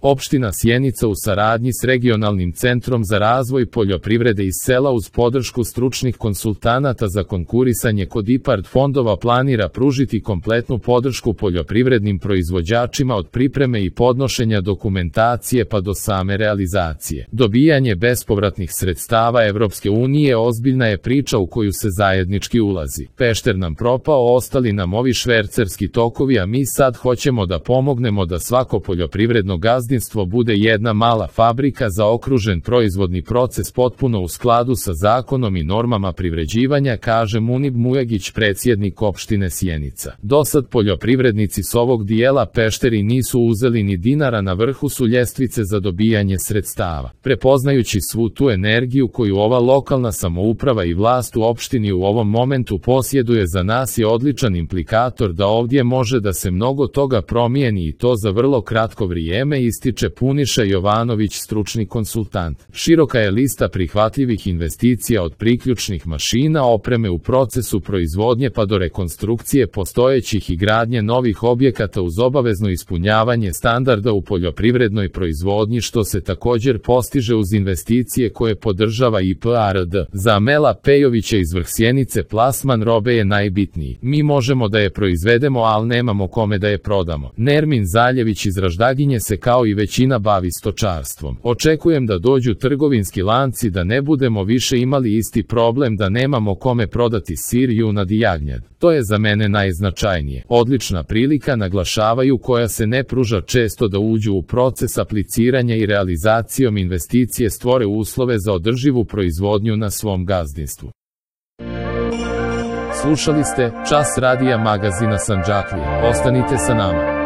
Opština Sjenica u saradnji s Regionalnim centrom za razvoj poljoprivrede iz sela uz podršku stručnih konsultanata za konkurisanje kod IPARD fondova planira pružiti kompletnu podršku poljoprivrednim proizvođačima od pripreme i podnošenja dokumentacije pa do same realizacije. Dobijanje bespovratnih sredstava Evropske unije ozbiljna je priča u koju se zajednički ulazi. Pešter nam propao, ostali nam ovi švercerski tokovi, a mi sad hoćemo da pomognemo da svako poljoprivredno gazdinstvo bude jedna mala fabrika za okružen proizvodni proces potpuno u skladu sa zakonom i normama privređivanja, kaže Munib Mujagić, predsjednik opštine Sjenica. Dosad poljoprivrednici s ovog dijela Pešteri nisu uzeli ni dinara, na vrhu su ljestvice za dobijanje sredstava. Prepoznajući svu tu energiju koju ova lokalna samouprava i vlast u opštini u ovom momentu posjeduje, za nas je odličan implikator da ovdje može da se mnogo toga promijeni i to za vrlo kratko vrijeme, ističe Puniša Jovanović, stručni konsultant. Široka je lista prihvatljivih investicija od priključnih mašina, opreme u procesu proizvodnje pa do rekonstrukcije postojećih i gradnje novih objekata uz obavezno ispunjavanje standarda u poljoprivrednoj proizvodnji, što se također postiže uz investicije koje podržava IPARD. Za Amela Pejovića iz Vrh Sjenice plasman robe je najbitniji. Mi možemo da je proizvedemo, ali nemamo kome da je prodamo. Nermin Zaljević iz Raždaginje se kao i većina bavi stočarstvom. Očekujem da dođu trgovinski lanci, da ne budemo više imali isti problem da nemamo kome prodati sir, junad i jagnjad. To je za mene najznačajnije. Odlična prilika, naglašavaju, koja se ne pruža često, da uđu u proces apliciranja i realizacijom investicije stvore uslove za održivu proizvodnju na svom gazdinstvu. Slušali ste Čas radija magazina Sandžaklija. Ostanite sa nama.